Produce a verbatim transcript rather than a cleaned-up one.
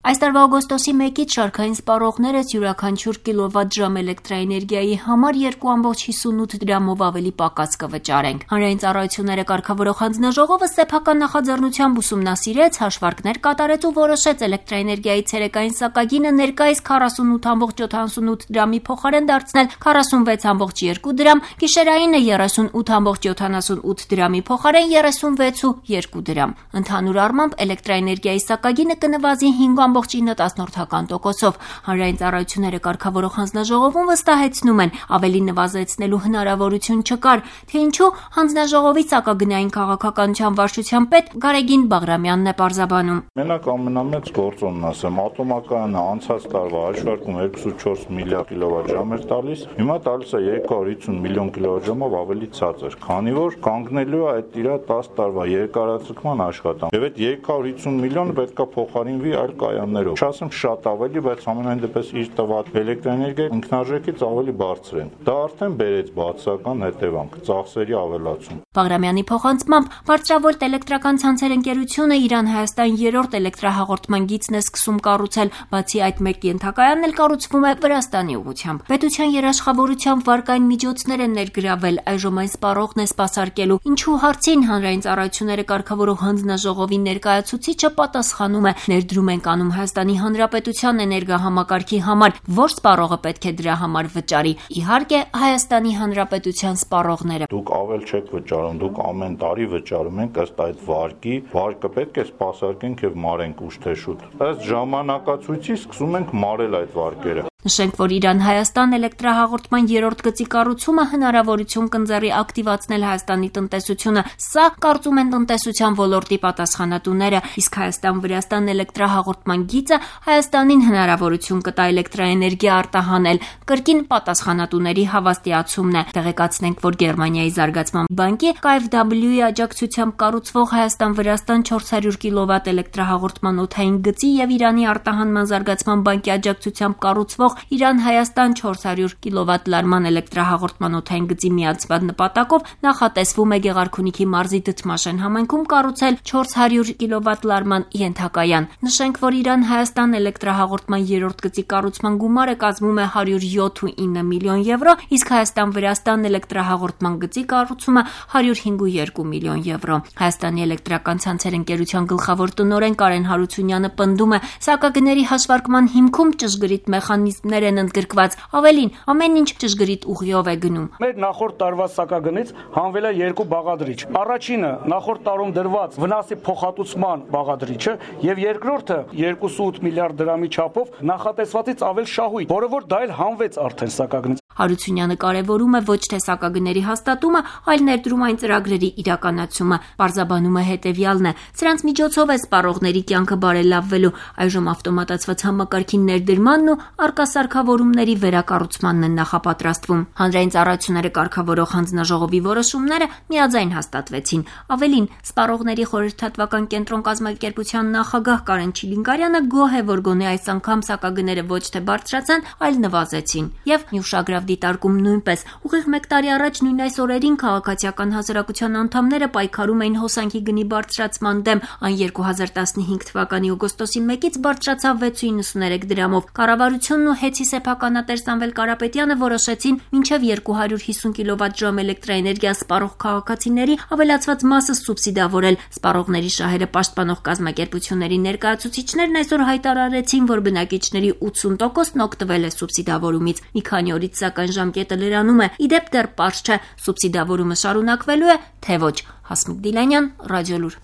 Այս տարվա օգոստոսի մեկից շարքային սպառողները յուրաքանչյուր կիլովատժամ էլեկտրաէներգիայի համար երկու կόμma հիսունութ դրամով ավելի պակաս կվճարենք։ Հանրային ծառայությունները կարգավորող հանձնաժողովը սեփական նախաձեռնությամբ ուսումնասիրեց, հաշվարկներ կատարեց ու որոշեց էլեկտրաէներգիայի ցերեկային սակագինը ներկայիս քառասունութ կόμma յոթանասունութ դրամի փոխարեն դարձնել քառասունվեց կόμma երկու դրամ, գիշերայինը երեսունութ կόμma յոթանասունութ դրամի փոխարեն երեսունվեց կόμma երկու դրամ։ Ընդհանուր առմամբ էլեկտրաէներգիայի սակագինը կնվազի հինգ կόμma ինը տոկոսով։ Հանրային ծառայությունները կարգավորող հանձնաժողովում վստահեցնում են, ավելի նվազեցնելու հնարավորություն չկար, թե ինչու հանձնաժողովի սակագնային քաղաքականության վարչության պետ Գարեգին Բաղրամյանն է պարզաբանում։ Մենակ ամենամեծ գործոնն ասեմ, ատոմակայանը անցած տարվա հաշվարկում երկուսուց չորս միլիարդ կիլովատժամ էր տալիս, հիմա տալիս է երկու հարյուր հիսուն միլիոն կիլովատժամով ավելի ցածր, քանի որ կանգնելու է այդ իր տասը տարվա երկարաձգման աշխատանք։ Եվ այդ երկու հարյուր հիսուն միլիոնը պետք է փոխարինվի այլ կայաններով։ Չասեմ շատ ավելի, բայց ամենայն դեպս իր տված էլեկտրաէներգիայի ինքնարժեքից ավելի բարձր են։ Դա արդեն բերեց բացասական հետևանք՝ ծախսերի ավելացում։ Բաղրամյանի փոխանցմամբ Բարձրավոլտ էլեկտրական ցանցեր ընկերությունը Իրան-Հայաստան երրորդ էլեկտրահաղորդման գիծն է սկսում կառուցել, բացի այդ մեկ ենթակայանն էլ կառուցվում է Վրաստանի ուղղությամբ։ Պետության երաշխավորությամբ վարկային միջոցներ են ներգրավել, այժմ այն սպառողն է սպասարկելու։ Ինչու հարցին հանրային ծառայությունները կարգավորող հանձնաժողովի ներկայացուցիչը պատասխանում է. ներդրում ենք անում Հայաստանի Հանրապետության էներգահամակարգի համար, որ սպառողը պետք է դրա համար վճարի։ Իհարկե, Հայաստանի Հանրապետության սպառողները։ Դուք ավել չեք վճարում, դուք ամեն տարի վճարում եք ըստ այդ վարկի, վարկը պետք է սպասարկենք եւ մարենք ուշ թե շուտ։ Ըստ ժամանակացույցի սկսում ենք մարել այդ վարկերը։ Նշենք, որ Իրան-Հայաստան էլեկտրահաղորդման երրորդ գծի կառուցումը հնարավորություն կընձեռի ակտիվացնել Հայաստանի տնտեսությունը։ Սա կարծում են տնտեսության ոլորտի պատասխանատուները, իսկ Հայաստան-Վրաստան էլեկտրահաղորդման գիծը Հայաստանին հնարավորություն կտա էլեկտրաէներգիա արտահանել, կրկին պատասխանատուների հավաստիացումն է։ Տեղեկացնենք, որ Գերմանիայի զարգացման բանկի K F W-ի աջակցությամբ կառուցվող Հայաստան-Վրաստան չորս հարյուր կիլովատ էլեկտրահաղորդման օդային գծի եւ Իրանի արտահանման զարգացման բանկի աջակցությամբ կառուցվող Իրան-Հայաստան չորս հարյուր կիլովատ լարման էլեկտրահաղորդման օդային գծի միացման նպատակով նախատեսվում է Գեղարքունիքի մարզի Դդմաշեն համայնքում կառուցել չորս հարյուր կիլովատ լարման ենթակայան։ Նշենք, որ Իրան-Հայաստան էլեկտրահաղորդման երրորդ գծի կառուցման գումարը կազմում է հարյուր յոթանասունինը միլիոն եվրո, իսկ Հայաստան-Վրաստան էլեկտրահաղորդման գծի կառուցումը հարյուր հինգ երկու միլիոն եվրո։ Հայաստանի էլեկտրական ցանցեր ընկերության գլխավոր տնօրեն Կարեն Հարությունյանը պնդում է, սակագների հաշվարկման հիմքում ճշգրիտ մեխանիզմներ են ընդգրկված, ավելին, ամեն ինչ ճշգրիտ ուղիով է գնում։ Մեր նախորդ տարվա սակագնից հանվել է երկու բաղադրիչ։ Առաջինը նախորդ տարում դրված վնասի փոխհատուցման բաղադրիչը եւ երկրորդը երկուսուց միլիարդ դրամի չափով նախատեսվածից ավել շահույթ, որը որ դա էլ հանվեց արդեն սակագնից։ Հարությունյանը կարևորում է ոչ թե սակագների հաստատումը, այլ ներդրումային ծրագրերի իրականացումը։ Պարզաբանում է հետևյալն է. սրանց միջոցով է սպառողների կյանքը բարելավվելու, այժմ ավտոմատացված համակարգի ներդրմանն ու արկա սարքավորումների վերակառուցմանն են նախապատրաստվում։ Հանրային ծառայությունները կարգավորող հանձնաժողովի որոշումները միաձայն հաստատվեցին։ Ավելին, սպառողների խորհրդատվական կենտրոն կազմակերպության նախագահ Կարեն Չիլինգարյանը գոհ է, որ գոնե այս անգամ սակագները ոչ թե բարձրացան, այլ նվազեցին։ Եվ Նյուշագրավ դիտարկում նույնպես։ Ուղիղ մեկ տարի առաջ նույն այս օրերին քաղաքացիական հասարակության անդամները պայքարում էին հոսանքի գնի բարձրացման դեմ։ Այն երկու հազար տասնհինգ թվականի օգոստոսի մեկից բարձրացավ վեց ու իննսուներեք դրամով։ Կառավարությունն ու Հեցի սեփականատեր Սամվել Կարապետյանը որոշեցին մինչև երկու հարյուր հիսուն կիլովատժամ էլեկտրաէներգիա սպառող քաղաքացիների ավելացված մասը սուբսիդավորել։ Սպառողների շահերը պաշտպանող կազմակերպությունների ներկայացուցիչներն այսօր հայտարարեցին, որ բնակիչների ութսուն տոկոսն օգտվել է սուբսիդավորումից։ Մի քանի օրից սակայն ժամկետը լրանում է։ Իդեպ դեռ պարզ չէ, սուբսիդավորումը շարունակվելու է, թե ոչ։ Հասմիկ Դիլանյան, Ռադիոլուր։